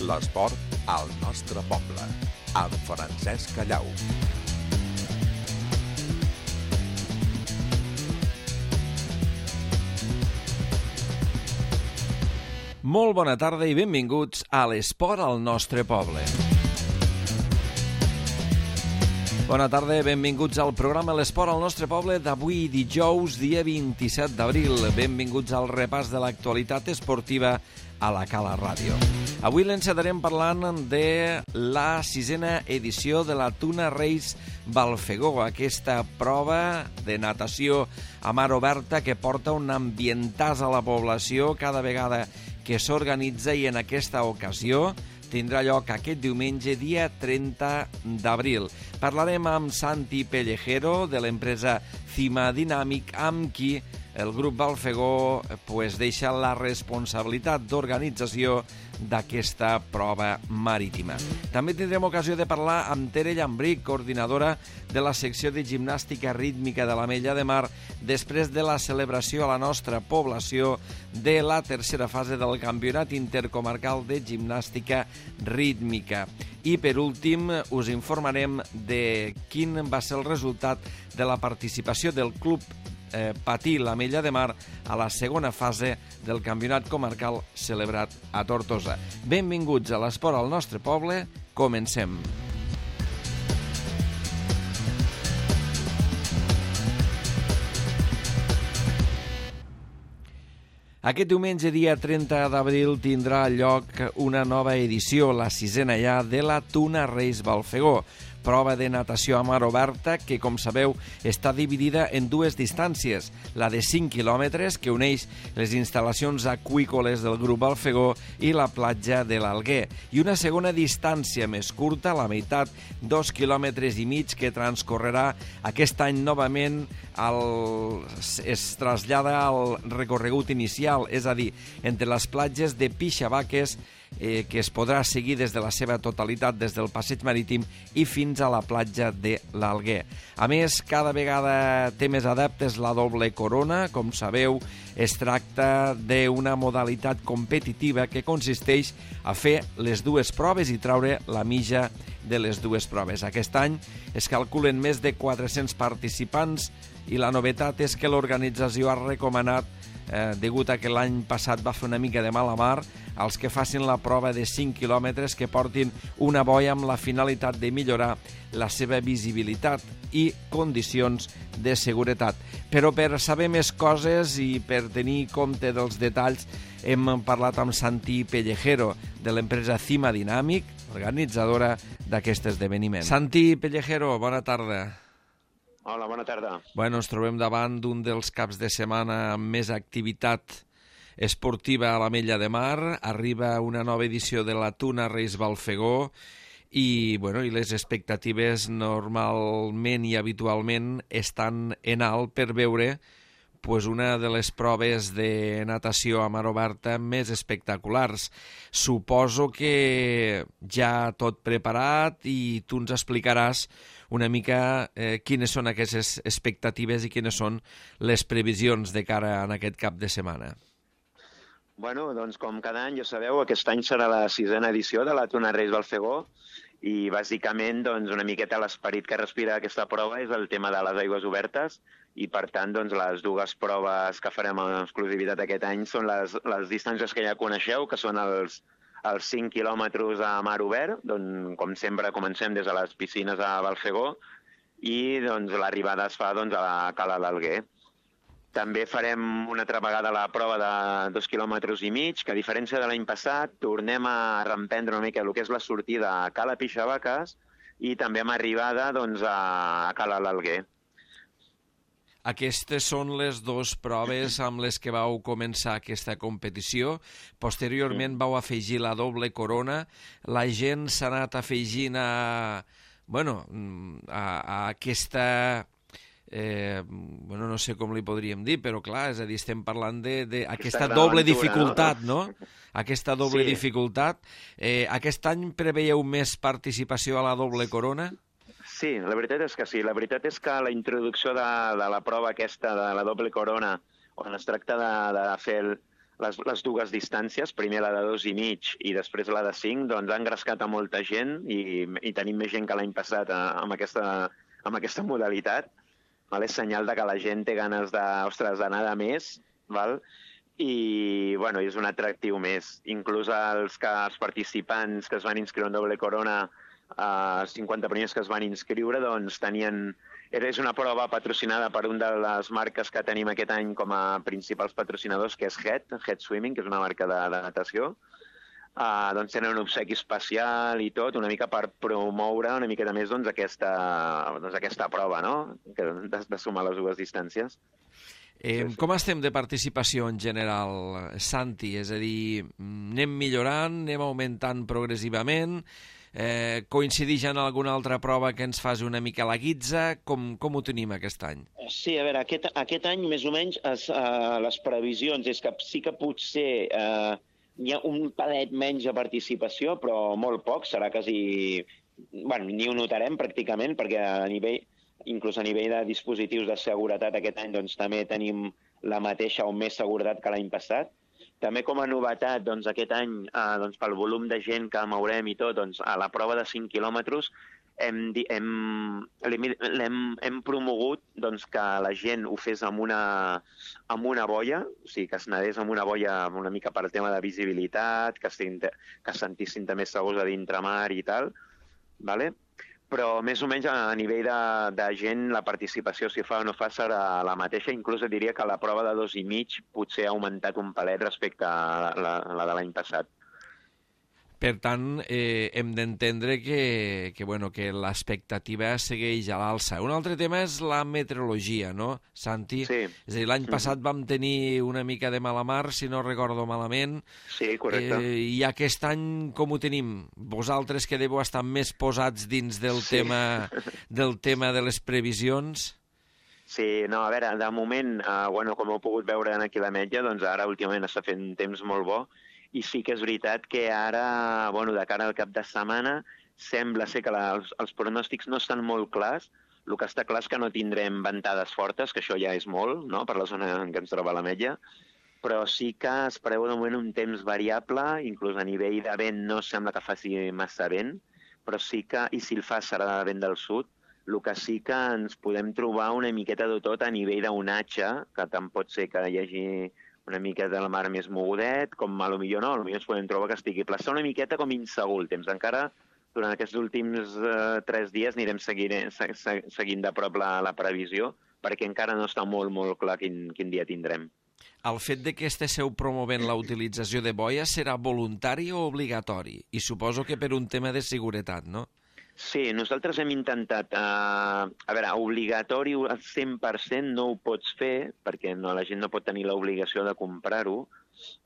L'esport al nostre poble, amb Francesc Callau. Molt bona tarda i benvinguts a l'esport al nostre poble. Bona tarda, benvinguts al programa L'Esport al nostre poble d'avui dijous, dia 27 d'abril. Benvinguts al repàs de l'actualitat esportiva a la Cala Ràdio. Avui l'encetarem parlant de la 6a edició de la Tuna Race Balfegó, aquesta prova de natació a mar oberta que porta un ambientàs a la població cada vegada que s'organitza, i en aquesta ocasió tindrà lloc aquest diumenge, dia 30 d'abril. Parlarem amb Santi Pellejero, de l'empresa Cima Dynamic, amb qui el grup Balfegó deixa la responsabilitat d'organització d'aquesta prova marítima. També tindrem ocasió de parlar amb Tere Llambric, coordinadora de la secció de gimnàstica rítmica de l'Ametlla de Mar, després de la celebració a la nostra població de la tercera fase del Campionat Intercomarcal de Gimnàstica Rítmica. I per últim us informarem de quin va ser el resultat de la participació del Club Patí l'Ametlla de Mar a la segona fase del Campionat Comarcal celebrat a Tortosa. Benvinguts a l'Esport al nostre poble, comencem. Aquest diumenge, dia 30 d'abril, tindrà lloc una nova edició, la 6a ja, de la Tuna Race Balfegó, prova de natació a mar oberta que, com sabeu, està dividida en dues distàncies, la de 5 quilòmetres, que uneix les instal·lacions aqüícoles del grup Balfegó i la platja de l'Alguer, i una segona distància més curta, la meitat, 2,5 quilòmetres, que transcorrerà aquest any novament, es trasllada al recorregut inicial, és a dir, entre les platges de Pixavaques, que es podrà seguir des de la seva totalitat des del passeig marítim i fins a la platja de l'Alguer. A més, cada vegada té més adeptes la doble corona. Com sabeu, es tracta d'una modalitat competitiva que consisteix a fer les dues proves i traure la mitja de les dues proves. Aquest any es calculen més de 400 participants i la novetat és que l'organització ha recomanat, degut a que l'any passat va fer una mica de mala mar, als que facin la prova de 5 quilòmetres que portin una boia amb la finalitat de millorar la seva visibilitat i condicions de seguretat. Però per saber més coses i per tenir compte dels detalls, hem parlat amb Santi Pellejero, de l'empresa Cima Dynamic, organitzadora d'aquest esdeveniment. Santi Pellejero, bona tarda. Hola, bona tarda. Bueno, ens trobem davant d'un dels caps de setmana amb més activitat esportiva a l'Ametlla de Mar. Arriba una nova edició de la Tuna Race Balfegó i les expectatives normalment i habitualment estan en alt per veure una de les proves de natació a mar oberta més espectaculars. Suposo que ja tot preparat i tu ens explicaràs una mica quines són aquestes expectatives i quines són les previsions de cara a aquest cap de setmana. Bueno, doncs com cada any, ja sabeu, aquest any serà la 6a edició de la Tuna Race Balfegó i bàsicament una miqueta l'esperit que respira aquesta prova és el tema de les aigües obertes i per tant les dues proves que farem en exclusivitat aquest any són les distàncies que ja coneixeu, que són els 5 quilòmetres a mar obert, com sempre comencem des de les piscines a Balfegó i l'arribada es fa a la Cala l'Alguer. També farem una altra vegada la prova de 2,5 quilòmetres, que a diferència de l'any passat tornem a reemprendre una mica el que és la sortida a Cala Pixavaques i també amb arribada a Cala l'Alguer. Aquestes són les dues proves amb les que vau començar aquesta competició. Posteriorment vau afegir la doble corona. La gent s'ha anat afegint a aquesta... no sé com li podríem dir, però clar, és a dir, estem parlant d'aquesta doble dificultat, no? Aquesta doble dificultat. Aquest any preveieu més participació a la doble corona? Sí, la veritat és que sí. La veritat és que la introducció de la prova aquesta de la doble corona, on es tracta de fer les dues distàncies, primer la de 2,5 i després la de 5, doncs ha engrescat a molta gent i tenim més gent que l'any passat amb aquesta modalitat. Val? És senyal de que la gent té ganes d'anar de més, val? I bueno, és un atractiu més. Inclús els participants que es van inscriure en doble corona, els 50 primers que es van inscriure, doncs és una prova patrocinada per una de les marques que tenim aquest any com a principals patrocinadors, que és Head Swimming, que és una marca de natació. Doncs tenen un obsequi especial i tot, una mica per promoure una miqueta més aquesta prova, no? De sumar les dues distàncies. Com estem de participació en general, Santi? És a dir, anem millorant, anem augmentant progressivament? Coincideix en alguna altra prova que ens faci una mica la guitza? Com ho tenim aquest any? Sí, a veure, aquest any més o menys les previsions és que sí que potser hi ha un palet menys de participació, però molt poc, serà quasi... Bueno, ni ho notarem pràcticament, perquè inclús a nivell de dispositius de seguretat aquest any doncs, també tenim la mateixa o més seguretat que l'any passat. També com a novetat, doncs, aquest any, doncs, pel volum de gent que mourem i tot, doncs, a la prova de 5 quilòmetres hem promogut doncs, que la gent ho fes amb una boia, o sigui, que es nedés amb una boia una mica per tema de visibilitat, que es sentissin també segurs a d'intramar i tal, ¿vale? Però més o menys a nivell de gent la participació, si fa o no fa, serà la mateixa. Inclús diria que la prova de 2,5 potser ha augmentat un palet respecte a la de l'any passat. Per tant, hem d'entendre que l'expectativa segueix a l'alça. Un altre tema és la meteorologia, no, Santi? Sí. És a dir, l'any passat vam tenir una mica de mala mar, si no recordo malament. Sí, correcte. I aquest any com ho tenim? Vosaltres que deveu estar més posats dins del tema de les previsions? Sí, no, a veure, de moment, com heu pogut veure aquí a l'Ametlla, doncs ara últimament està fent temps molt bo, i sí que és veritat que ara, de cara al cap de setmana, sembla ser que els pronòstics no estan molt clars. El que està clar és que no tindrem ventades fortes, que això ja és molt, no?, per la zona en què ens troba l'Ametlla, però sí que es preveu de moment un temps variable, inclús a nivell de vent no sembla que faci massa vent, però sí que, i si el fa serà de vent del sud, el que sí que ens podem trobar una miqueta de tot a nivell d'onatge, que tant pot ser que hi hagi una mica de la mar més mogudet, com potser no, potser ens podem trobar que estigui pla. Està una miqueta com insegur el temps. Encara durant aquests últims 3 dies anirem seguint de prop la previsió, perquè encara no està molt, molt clar quin dia tindrem. El fet de que esteu promovent la utilització de boia serà voluntari o obligatori? I suposo que per un tema de seguretat, no? Sí, nosaltres hem intentat... obligatori al 100% no ho pots fer, perquè la gent no pot tenir l'obligació de comprar-ho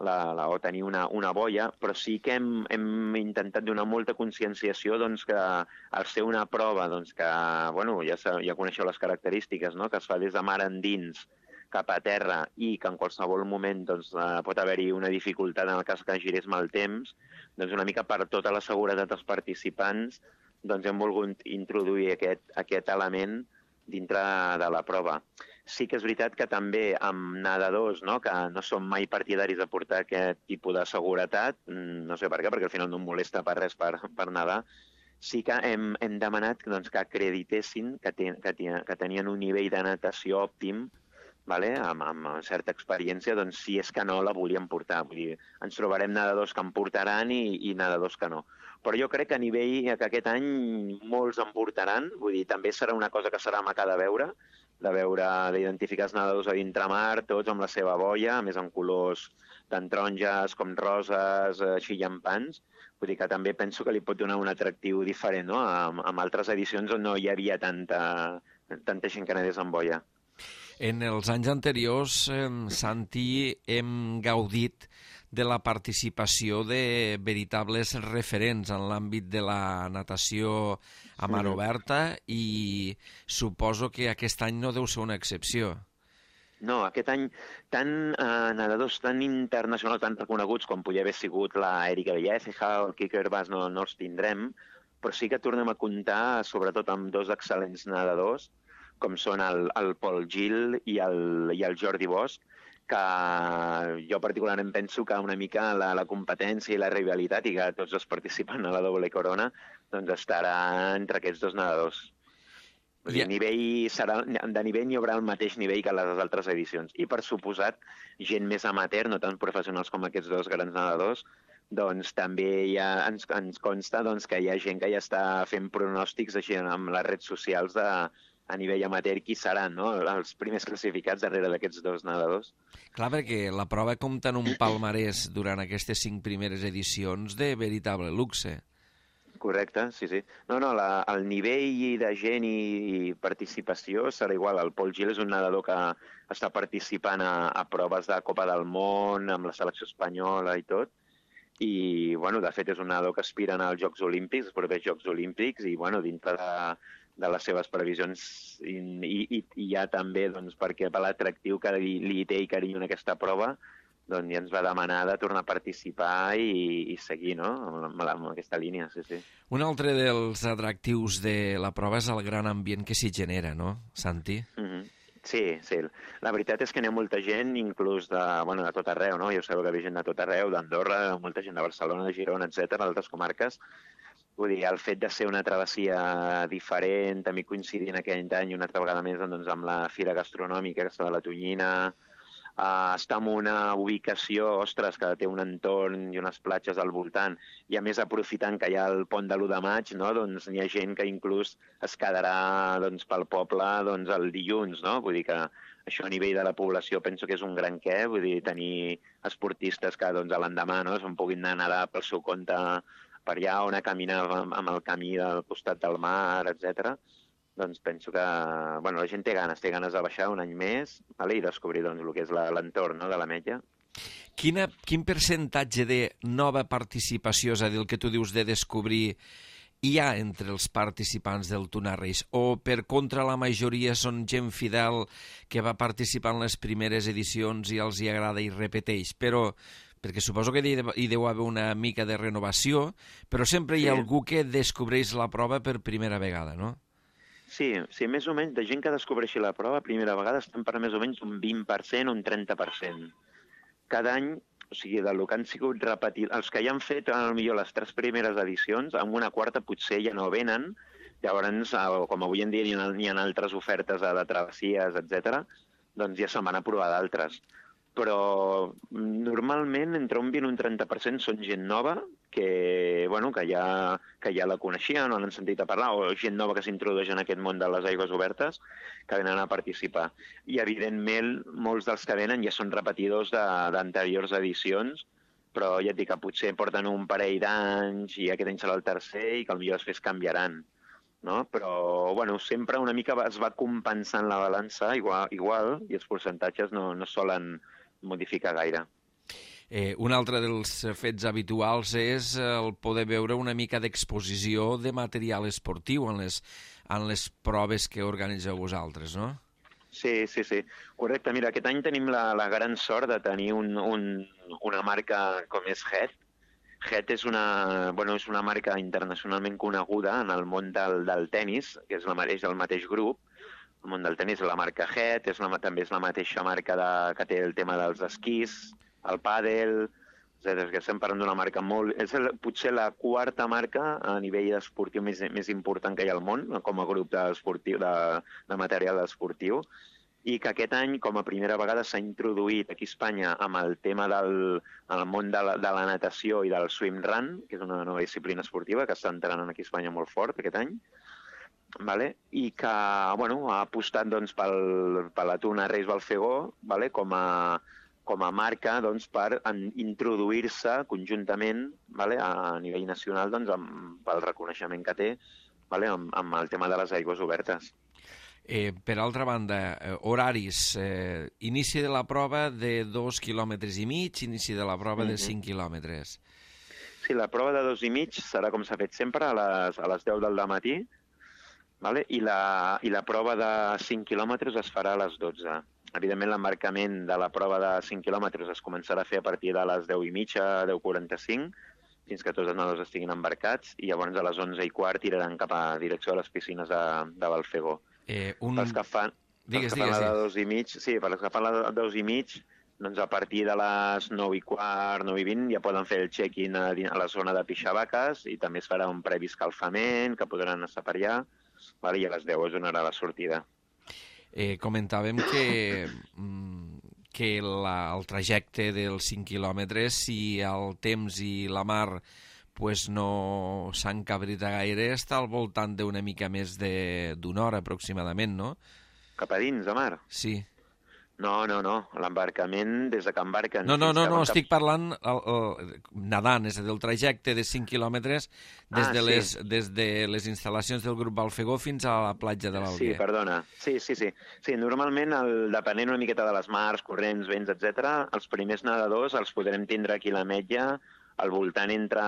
o tenir una boia, però sí que hem intentat donar molta conscienciació doncs, que al ser una prova que, ja coneixeu les característiques, no?, que es fa des de mar endins cap a terra i que en qualsevol moment doncs, pot haver-hi una dificultat en el cas que girés mal temps, doncs una mica per tota la seguretat dels participants doncs hem volgut introduir aquest element dintre de la prova. Sí que és veritat que també amb nedadors, no?, que no som mai partidaris de portar aquest tipus de seguretat, no sé per què, perquè al final no em molesta per res per nedar, sí que hem demanat doncs, que acreditessin que tenien un nivell de natació òptim, amb certa experiència, doncs si és que no la volien portar. Vull dir, ens trobarem nedadors que en portaran i nedadors que no. Però jo crec que a nivell que aquest any molts en portaran, vull dir, també serà una cosa que serà maca de veure, d'identificar els nedadors a d'intramar, tots amb la seva boia, a més en colors tant taronges com roses, així llampants. Vull dir que també penso que li pot donar un atractiu diferent, no?, amb altres edicions on no hi havia tanta gent que nedés amb boia. En els anys anteriors, Santi, hem gaudit de la participació de veritables referents en l'àmbit de la natació a mar oberta i suposo que aquest any no deu ser una excepció. No, aquest any tant nedadors tan internacionals, tan reconeguts com podria haver sigut l'Erika Villaceja o el Quique Herbàs no els tindrem, però sí que tornem a comptar sobretot amb 2 excel·lents nedadors com són el Pol Gil i el Jordi Bosch, que jo particularment penso que una mica la competència i la rivalitat i que tots els participants a la doble corona doncs estarà entre aquests dos nedadors. Vull dir, de nivell hi haurà el mateix nivell que les altres edicions. I, per suposat, gent més amateur, no tan professionals com aquests dos grans nedadors, doncs també ens consta que hi ha gent que ja està fent pronòstics així amb les redes socials a nivell amateur qui seran, no? Els primers classificats darrere d'aquests dos nedadors. Clar, perquè la prova compta en un palmarès durant aquestes 5 primeres edicions de veritable luxe. Correcte, sí. No, el nivell de gent i participació serà igual. El Pol Gil és un nedador que està participant a proves de Copa del Món, amb la selecció espanyola i tot, i, bueno, de fet és un nedador que aspira als Jocs Olímpics, els propers Jocs Olímpics, i, bueno, dintre de les seves previsions i hi ha també, doncs, perquè per l'atractiu que li té i carinyo en aquesta prova, doncs ja ens va demanar de tornar a participar i seguir, no?, amb aquesta línia, sí. Un altre dels atractius de la prova és el gran ambient que s'hi genera, no, Santi? Sí. La veritat és que n'hi ha molta gent, inclús de tot arreu, no? Ja sabeu que ve gent de tot arreu, d'Andorra, molta gent de Barcelona, de Girona, etc., d'altres comarques. Vull dir, el fet de ser una travessia diferent, també coincidint aquell any una altra vegada més doncs, amb la fira gastronòmica, aquesta de la Tonyina, està en una ubicació, ostres, que té un entorn i unes platges al voltant, i a més aprofitant que hi ha el pont de l'1 de maig, no? Doncs n'hi ha gent que inclús es quedarà doncs, pel poble doncs, el dilluns, no? Vull dir que això a nivell de la població penso que és un gran què, vull dir, tenir esportistes que doncs, a l'endemà no? Se'n puguin anar a nedar pel seu compte per allà o anar a caminar amb el camí del costat del mar, etc. Doncs penso que la gent té ganes de baixar un any més i descobrir doncs, el que és l'entorn de l'Ametlla. Quin percentatge de nova participació, és a dir, el que tu dius de descobrir, hi ha entre els participants del Tuna Reis? O, per contra, la majoria són gent fidel que va participar en les primeres edicions i els hi agrada i repeteix? Perquè suposo que hi deu haver una mica de renovació, però sempre hi ha algú que descobreix la prova per primera vegada, no? Sí, més o menys, de gent que descobreixi la prova, primera vegada estem per més o menys un 20%, un 30%. Cada any, o sigui, del que han sigut repetit, els que ja han fet, potser les 3 primeres edicions, amb una quarta potser ja no venen, llavors, com avui en dia hi ha altres ofertes de travessies, etc., doncs ja se'n van a provar d'altres. Però normalment entre un 20 i un 30% són gent nova que ja la coneixien o n'han sentit a parlar, o gent nova que s'introdueix en aquest món de les aigües obertes que venen a participar. I, evidentment, molts dels que venen ja són repetidors d'anteriors edicions, però ja et dic que potser porten un parell d'anys i aquest any serà el tercer i que potser després canviaran. No? Però sempre una mica es va compensant la balança igual i els percentatges no solen modificar gaire. Un altre dels fets habituals és el poder veure una mica d'exposició de material esportiu en les proves que organitzeu vosaltres, no? Sí. Correcte. Mira, aquest any tenim la gran sort de tenir una marca com és Het. Het és una marca internacionalment coneguda en el món del tennis, que és el mateix grup. El món del tennis, la marca Het, també és la mateixa marca que té el tema dels esquís, el pàdel, etc. Que estem parlant d'una marca és potser la quarta marca a nivell esportiu més important que hi ha al món, com a grup de material esportiu, i que aquest any, com a primera vegada, s'ha introduït aquí a Espanya amb el tema del món de la natació i del swim run, que és una nova disciplina esportiva que està entrant aquí a Espanya molt fort aquest any, i que ha apostat per la Tuna Reis Balfegó com a marca per introduir-se conjuntament a nivell nacional pel reconeixement que té amb el tema de les aigües obertes. Per altra banda, horaris, inici de la prova de 2,5 quilòmetres, inici de la prova de 5 quilòmetres. Sí, la prova de 2,5 serà com s'ha fet sempre, a les 10 del matí, i la prova de 5 quilòmetres es farà a les 12. Evidentment, l'embarcament de la prova de 5 quilòmetres es començarà a fer a partir de les 10:30, 10:45, fins que tots els nedadors estiguin embarcats, i llavors a les 11:15 tiraran cap a direcció a les piscines de Balfegó. Pels que fan la de 2,5, sí, pels que fan la de 2,5, doncs a partir de les 9:15, 9:20, ja poden fer el check-in a la zona de Pixabaques i també es farà un previ escalfament, que podran estar per allà, vale? I a les 10 es donarà la sortida. Comentàvem que el trajecte dels 5 quilòmetres, si el temps i la mar pues no s'encabrita gaire, està al voltant d'una mica més d'una hora aproximadament, no? Cap a dins, de mar? Sí. No. L'embarcament, des de que embarquen... No, estic parlant nadant, és a dir, el trajecte de 5 quilòmetres des de les instal·lacions del grup Balfegó fins a la platja de l'Alguer. Sí, perdona. Sí. Sí, normalment, depenent una miqueta de les mars, corrents, vents, etc., els primers nedadors els podrem tindre aquí a l'Ametlla al voltant entre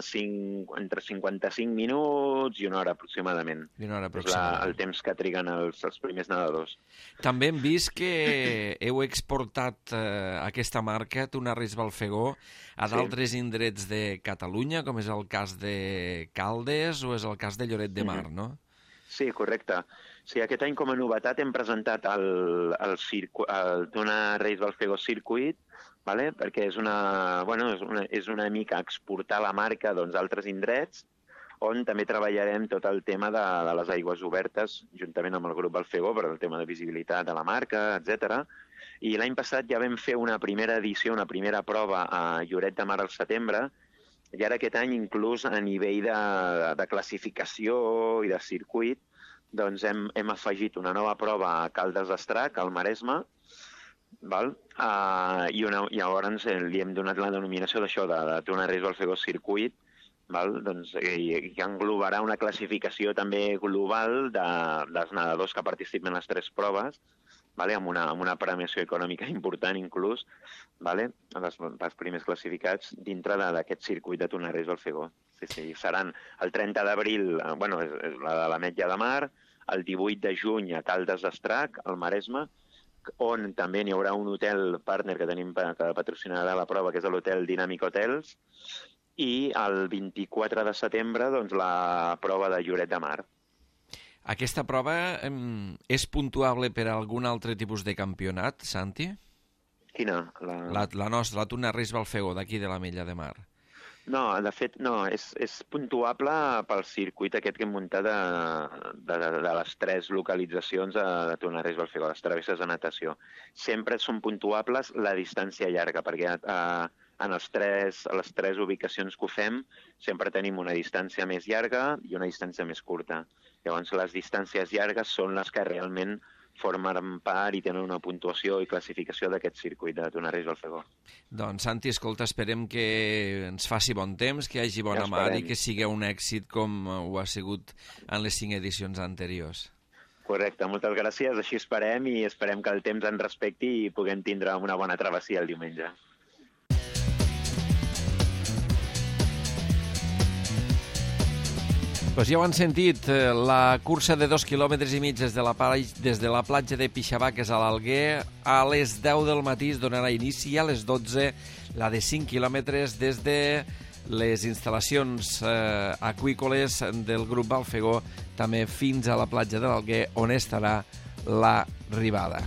55 minuts i una hora aproximadament. És el temps que triguen els primers nedadors. També hem vist que heu exportat aquesta marca, Tuna Reis Balfegó, a d'altres indrets de Catalunya, com és el cas de Caldes o és el cas de Lloret de Mar, no? Sí, correcte. Sí, aquest any com a novetat hem presentat el Tuna Reis Balfegó Circuit, vale? Perquè és una mica exportar la marca a altres indrets, on també treballarem tot el tema de les aigües obertes, juntament amb el grup Balfegó, per el tema de visibilitat de la marca, etc. I l'any passat ja vam fer una primera edició, una primera prova a Lloret de Mar al setembre, i ara aquest any, inclús a nivell de classificació i de circuit, doncs hem afegit una nova prova a Caldes d'Estrac, al Maresme, val? I llavors li hem donat la denominació d'això, de Tuna Reis Balfegó Circuit, val? Doncs, i que englobarà una classificació també global dels nedadors que participen en les 3 proves, vale? Amb una premiació econòmica important inclús, vale? Els primers classificats dintre d'aquest circuit de Tuna Reis Balfegó. Sí, seran el 30 d'abril, la de l'Ametlla de Mar, el 18 de juny a Caldes d'Estrac, al Maresme, on també n'hi haurà un hotel partner que tenim que patrocinarà la prova, que és l'hotel Dynamic Hotels, i el 24 de setembre doncs, la prova de Lloret de Mar. Aquesta prova és puntuable per a algun altre tipus de campionat, Santi? Quina? La nostra, la Tuna Reis Balfegó, d'aquí de l'Ametlla de Mar. No, de fet, no, és puntuable pel circuit aquest que hem muntat de les 3 localitzacions de Tuna Reis Balfegó, les travesses de natació. Sempre són puntuables la distància llarga, perquè en les 3 ubicacions que ho fem sempre tenim una distància més llarga i una distància més curta. Llavors, les distàncies llargues són les que realment formen part i tenen una puntuació i classificació d'aquest circuit de Tuna Reis Balfegó. Doncs, Santi, escolta, esperem que ens faci bon temps, que hi hagi bona mar i que sigui un èxit com ho ha sigut en les 5 edicions anteriors. Correcte, moltes gràcies. Així esperem i esperem que el temps ens respecti i puguem tindre una bona travessia el diumenge. Pues ja ho han sentit, la cursa de 2,5 quilòmetres des de la platja de Pixabaques a l'Alguer a les 10 del matí es donarà inici, a les 12 la de 5 quilòmetres des de les instal·lacions aqüícoles del grup Balfegó també fins a la platja de l'Alguer, on estarà l'arribada.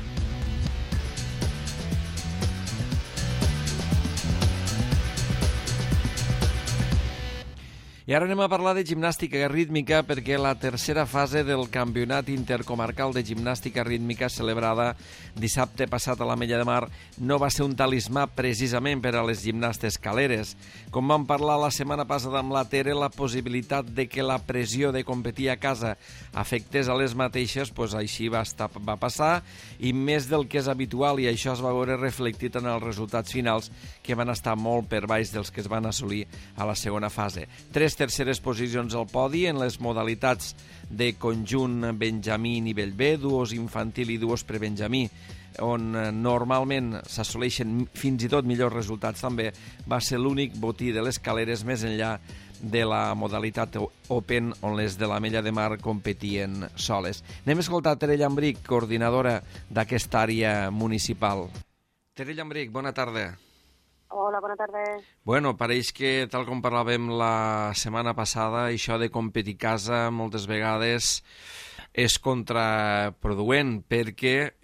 I ara anem a parlar de gimnàstica rítmica perquè la tercera fase del Campionat Intercomarcal de Gimnàstica Rítmica celebrada dissabte passat a l'Ametlla de Mar no va ser un talismà precisament per a les gimnastes caleres. Com vam parlar la setmana passada amb la Tere, la possibilitat de que la pressió de competir a casa afectés a les mateixes, doncs així va passar i més del que és habitual, i això es va veure reflectit en els resultats finals que van estar molt per baix dels que es van assolir a la segona fase. 3 terceres posicions al podi en les modalitats de conjunt benjamí nivell B, duos infantil i duos prebenjamí, on normalment s'assoleixen fins i tot millors resultats també, va ser l'únic botí de les caleres més enllà de la modalitat Open, on les de l'Ametlla de Mar competien soles. Anem a escoltar Tere Llambric, coordinadora d'aquesta àrea municipal. Tere Llambric, bona tarda. Hola, bona tarda. Bueno, pareix que, tal com parlàvem la setmana passada, això de competir a casa moltes vegades és contraproduent perquè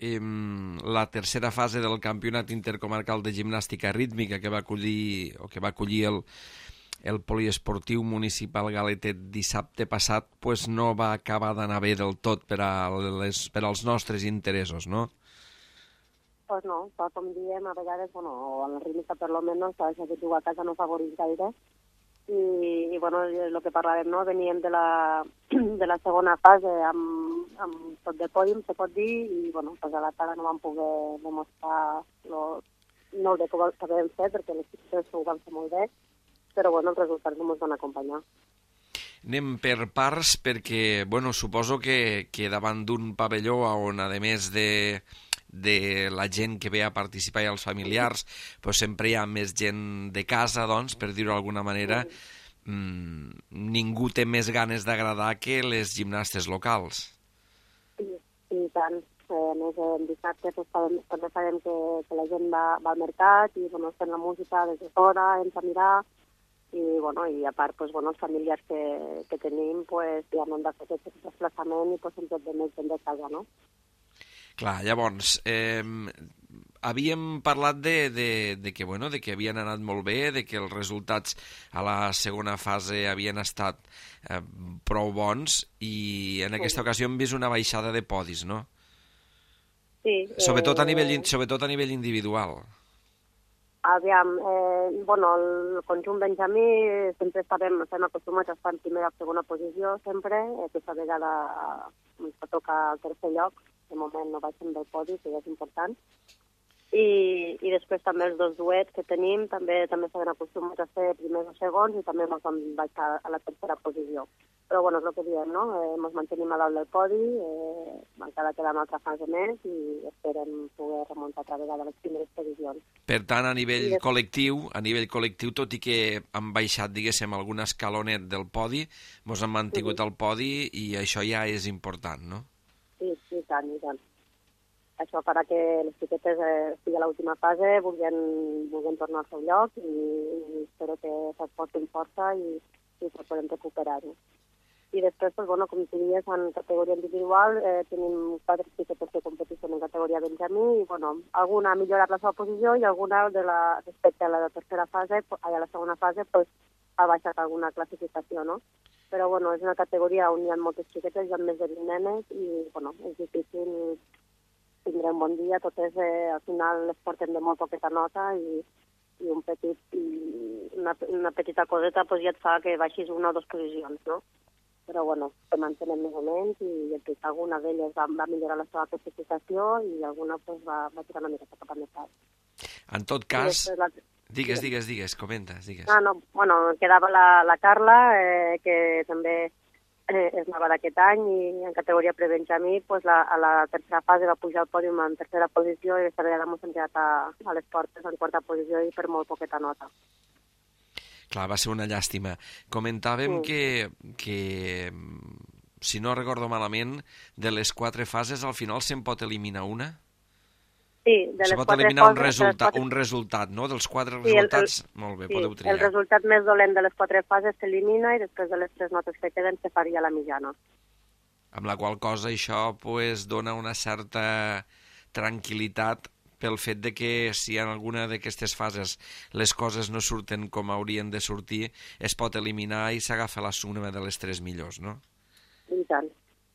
la tercera fase del Campionat Intercomarcal de Gimnàstica Rítmica que va acollir el poliesportiu municipal galetet dissabte passat pues no va acabar d'anar bé del tot per als nostres interessos, no? Pues no, tal com diem, a vegades, bueno, a la rítmica per lo menos, sabes que jugar a casa no favoreix gaire. I bueno, el que parlàvem, no? Veníem de la segona fase amb tot de pòdium, se pot dir, i bueno, pues a la tarda no vam poder demostrar no el bé que havíem fet, perquè les xiques ho van fer molt bé, però bueno, els resultats no ens van acompanyar. Anem per parts perquè, bueno, suposo que davant d'un pavelló on, a més de la gent que ve a participar i els familiars, doncs sempre hi ha més gent de casa, doncs, per dir-ho d'alguna manera, ningú té més ganes d'agradar que les gimnastes locals. I tant. A més, dissabte també sabem que la gent va al mercat i bueno, fent la música des de fora, ens a mirar, i, bueno, i a part pues, bueno, els familiars que tenim pues, ja no han de fer aquest desplaçament i pues, hem tot de més gent de casa, no? Clar, llavors, havíem parlat de que havien anat molt bé, de que els resultats a la segona fase havien estat prou bons i en aquesta ocasió hem vist una baixada de podis, no? Sí. Sobretot a nivell individual. Aviam, bueno, el conjunt benjamí sempre estem acostumats a estar en primera o segona posició, sempre. Aquesta vegada ens va tocar el tercer lloc, de moment no baixem del podi, que ja és important. I després també els dos duets que tenim també estan acostumats a ser primers o segons i també ens van baixar a la tercera posició. Però bueno, és el que diem, no? Ens mantenim a dalt del podi, encara queda una altra fase més i esperem poder remuntar altra vegada a les primeres posicions. Per tant, a nivell col·lectiu, tot i que han baixat, diguéssim, algun escalonet del podi, ens han mantingut al podi i això ja és important, no? Sí, i tant. Això farà que les xiquetes estigui a l'última fase, vulguin tornar al seu lloc i espero que s'esforcin força i que podem recuperar-ho. I després, pues, bueno, com tu dius, en categoria individual tenim 4 xiquetes que competeixen en categoria benjamí i, bueno, alguna ha millorat la seva posició i alguna respecte a la tercera fase, a la segona fase, pues, ha baixat alguna classificació, no? Però, bueno, és una categoria on hi ha moltes xiquetes, hi ha més de 20 nenes i, bueno, és difícil tindre un bon dia, totes al final les portem de molt poqueta nota i una petita coseta pues, ja et fa que baixis una o dues posicions, no? Però bueno, que mantenem més o menys i alguna d'elles va millorar la seva classificació i alguna pues, va tirar una mica cap a més alt. En tot cas, digues, comenta, digues. No, bueno, quedava la Carla, que també és nova d'aquest any i en categoria prebenjamí pues, a la tercera fase va pujar al pòdium en tercera posició i aquesta vegada ens hem quedat a les portes en quarta posició i per molt poqueta nota. Clar, va ser una llàstima. Comentàvem que, si no recordo malament, de les 4 fases al final se'n pot eliminar una? Sí, de les 4 fases... Se pot eliminar un resultat, no? Dels 4 resultats, molt bé, podeu triar. El resultat més dolent de les 4 fases s'elimina i després de les 3 notes que queden se faria la mitjana. Amb la qual cosa això pues, dona una certa tranquil·litat pel fet de que si en alguna d'aquestes fases les coses no surten com haurien de sortir, es pot eliminar i s'agafa la suma de les 3 millors, no? I tant.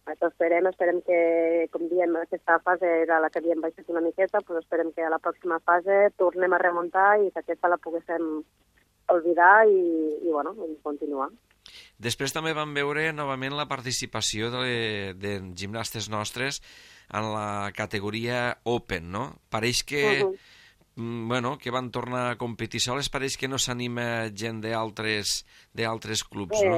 Això esperem que, com diem, aquesta fase era la que havíem baixat una miqueta, però esperem que a la pròxima fase tornem a remuntar i que aquesta la poguéssim oblidar i continuar. Després també vam veure novament la participació de gimnastes nostres en la categoria Open, no? Pareix que, que van tornar a competir soles, pareix que no s'anima gent d'altres clubs, no?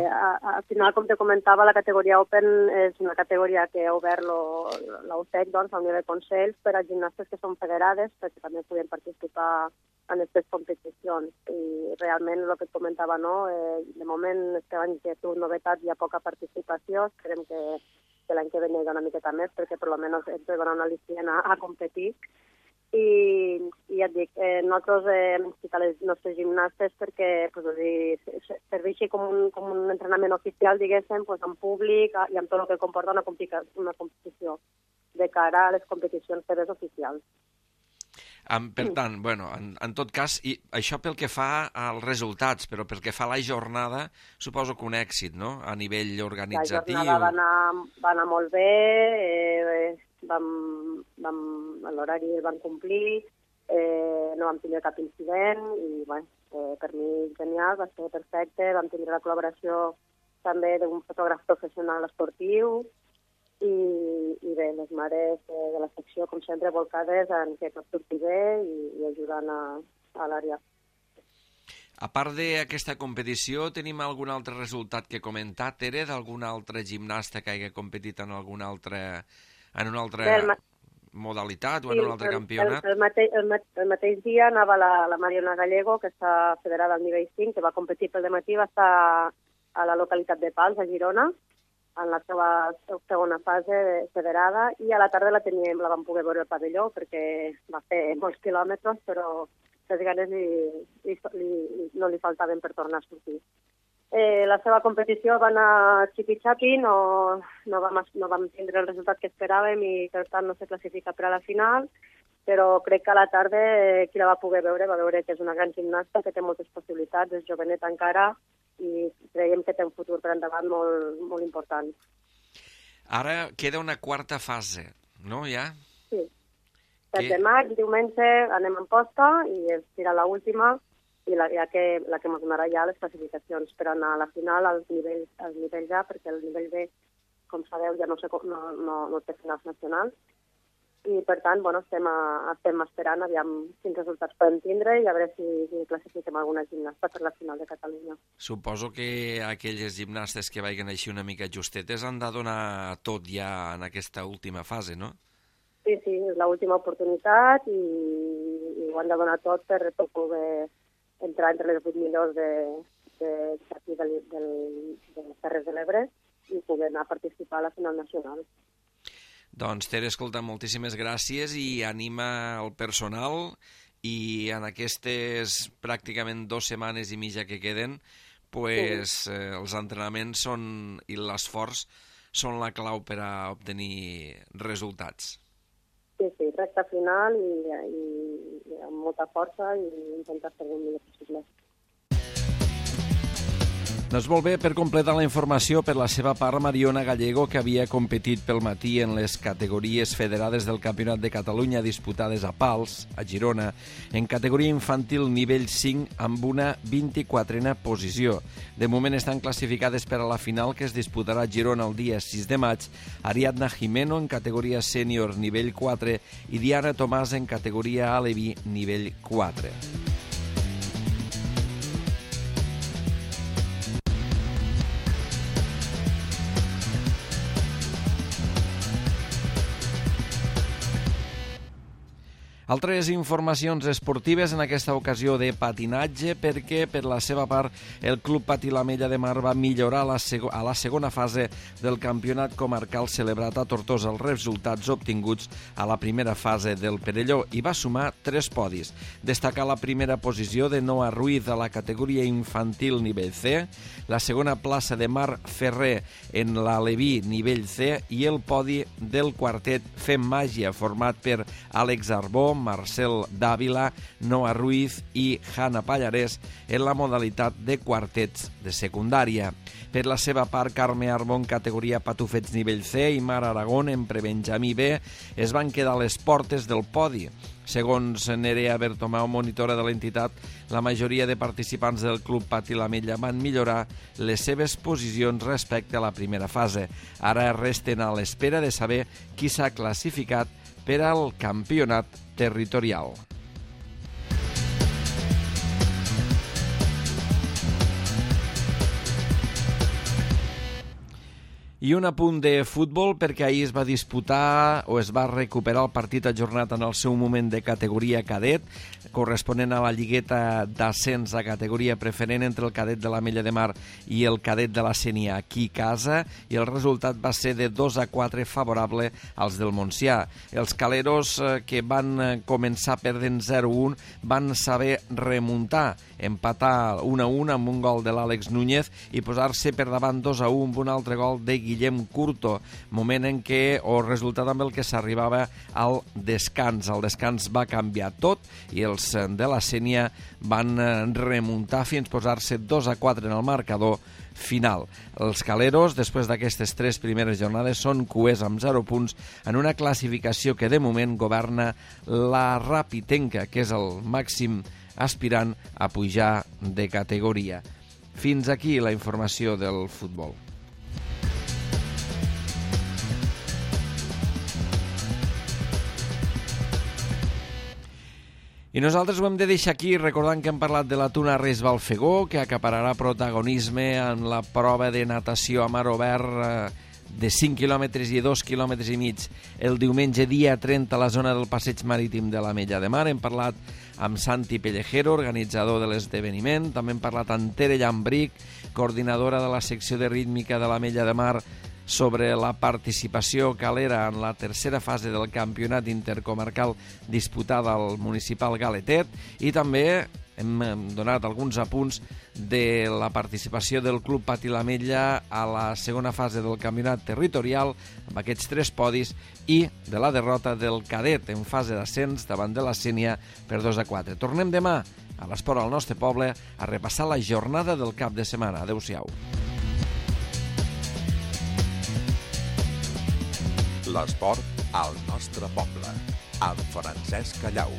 Al final, com te comentava, la categoria Open és una categoria que ha obert l'UTEC, doncs, al nivell Consells, per a gimnastes que són federades, perquè també podem participar en aquestes competicions. I realment, el que et comentava, no? De moment, este any que tu novetat hi ha poca participació, esperem que l'any que ve n'hi ha una miqueta més, perquè per almenys ens donen una al·licient a competir. i ja et dic, nosaltres hem ficat les nostres gimnastes perquè serveixi com un entrenament oficial, diguéssim, en públic i amb tot el que comporta una competició de cara a les competicions seves oficials. Per tant, en tot cas, i això pel que fa als resultats, però pel que fa a la jornada, suposo que un èxit, no?, a nivell organitzatiu. La jornada va anar molt bé, l'horari el van complir, no vam tenir cap incident i per mi genial, va ser perfecte, vam tenir la col·laboració també d'un fotògraf professional esportiu i bé, les mares de la secció, com sempre, volcades en que tot surti bé i ajudant a l'àrea. A part d'aquesta competició, tenim algun altre resultat que comentar, Tere, d'algun altre gimnasta que hagi competit en una altra modalitat o en un altre campionat? El mateix dia anava la Mariona Gallego, que està federada al nivell 5, que va competir pel dematí, va estar a la localitat de Pals, a Girona, en la seva segona fase federada, i a la tarda la vam poder veure al pavelló, perquè va fer molts quilòmetres, però les ganes no li faltaven per tornar a sortir. La seva competició va anar xipi-xapi, no vam tindre el resultat que esperàvem i per tant no se classifica per a la final, però crec que a la tarda qui la va poder veure va veure que és una gran gimnasta, que té moltes possibilitats, és jovenet encara i creiem que té un futur per endavant molt important. Ara queda una quarta fase, no, ja? Sí. 7 de maig, diumenge, anem en posta i serà l'última i la que ens donarà ja les classificacions per anar a la final als nivells A, perquè el nivell B, com sabeu, ja no té finals nacionals. I, per tant, estem esperant aviam quins resultats podem tindre i a veure si classifiquem alguna gimnasta per la final de Catalunya. Suposo que aquelles gimnastes que vagin així una mica justetes han de donar tot ja en aquesta última fase, no? Sí, és l'última oportunitat i ho han de donar tot per poder entrar entre les 8 millors d'aquí de les Terres de l'Ebre i poder anar a participar a la final nacional. Doncs, Tere, escolta, moltíssimes gràcies i anima el personal i en aquestes pràcticament 2 setmanes i mitja que queden, els entrenaments i l'esforç són la clau per a obtenir resultats. Sí, recta final i amb molta força i intentar fer el millor possible. Doncs molt bé, per completar la informació, per la seva part, Mariona Gallego, que havia competit pel matí en les categories federades del Campionat de Catalunya disputades a Pals, a Girona, en categoria infantil nivell 5 amb una 24a posició. De moment estan classificades per a la final que es disputarà a Girona el dia 6 de maig, Ariadna Jimeno en categoria sènior nivell 4 i Diana Tomàs en categoria aleví nivell 4. Altres informacions esportives, en aquesta ocasió de patinatge, perquè per la seva part el Club Patí l'Ametlla de Mar va millorar a la segona fase del campionat comarcal celebrat a Tortosa els resultats obtinguts a la primera fase del Perelló i va sumar 3 podis. Destacar la primera posició de Noa Ruiz a la categoria infantil nivell C, la segona plaça de Mar Ferrer en l'Aleví nivell C i el podi del quartet Fem Màgia format per Àlex Arbó, Marcel Dávila, Noa Ruiz i Hanna Pallarès en la modalitat de quartets de secundària. Per la seva part, Carme Arbó en categoria patufets nivell C i Mar Aragón en prebenjamí B es van quedar a les portes del podi. Segons Nerea Bertomeu, monitora de l'entitat, la majoria de participants del Club Patí l'Ametlla van millorar les seves posicions respecte a la primera fase. Ara resten a l'espera de saber qui s'ha classificat per al campionat territorial. I un apunt de futbol, perquè ahir es va disputar o es va recuperar el partit ajornat en el seu moment de categoria cadet, corresponent a la lligueta d'ascens a categoria preferent entre el cadet de l'Ametlla de Mar i el cadet de la Sénia aquí a casa, i el resultat va ser de 2-4 favorable als del Montsià. Els caleros, que van començar perdent 0-1, van saber remuntar, empatar 1-1 amb un gol de l'Àlex Núñez i posar-se per davant 2-1 amb un altre gol de Guillem Curto, moment en què, o resultat amb el que s'arribava al descans. El descans va canviar tot i els de la Sénia van remuntar fins posar-se 2-4 en el marcador final. Els caleros, després d'aquestes 3 primeres jornades, són cuers amb 0 punts en una classificació que de moment governa la Rapitenca, que és el màxim aspirant a pujar de categoria. Fins aquí la informació del futbol. I nosaltres ho hem de deixar aquí recordant que hem parlat de la Tuna Reis Balfegó, que acapararà protagonisme en la prova de natació a mar obert de 5 quilòmetres i 2 quilòmetres i mig el diumenge dia 30 a la zona del passeig marítim de l'Ametlla de Mar. Hem parlat amb Santi Pellejero, organitzador de l'esdeveniment. També hem parlat amb Tere Llambric, coordinadora de la secció de rítmica de l'Ametlla de Mar, sobre la participació calera en la tercera fase del campionat intercomarcal disputada al municipal Galetet, i també hem donat alguns apunts de la participació del Club Pati l'Ametlla a la segona fase del campionat territorial, amb aquests 3 podis, i de la derrota del cadet en fase d'ascens davant de la Sénia per 2-4. Tornem demà a l'Esport al nostre poble a repassar la jornada del cap de setmana. Adéu-siau. L'esport al nostre poble, amb Francesc Callau.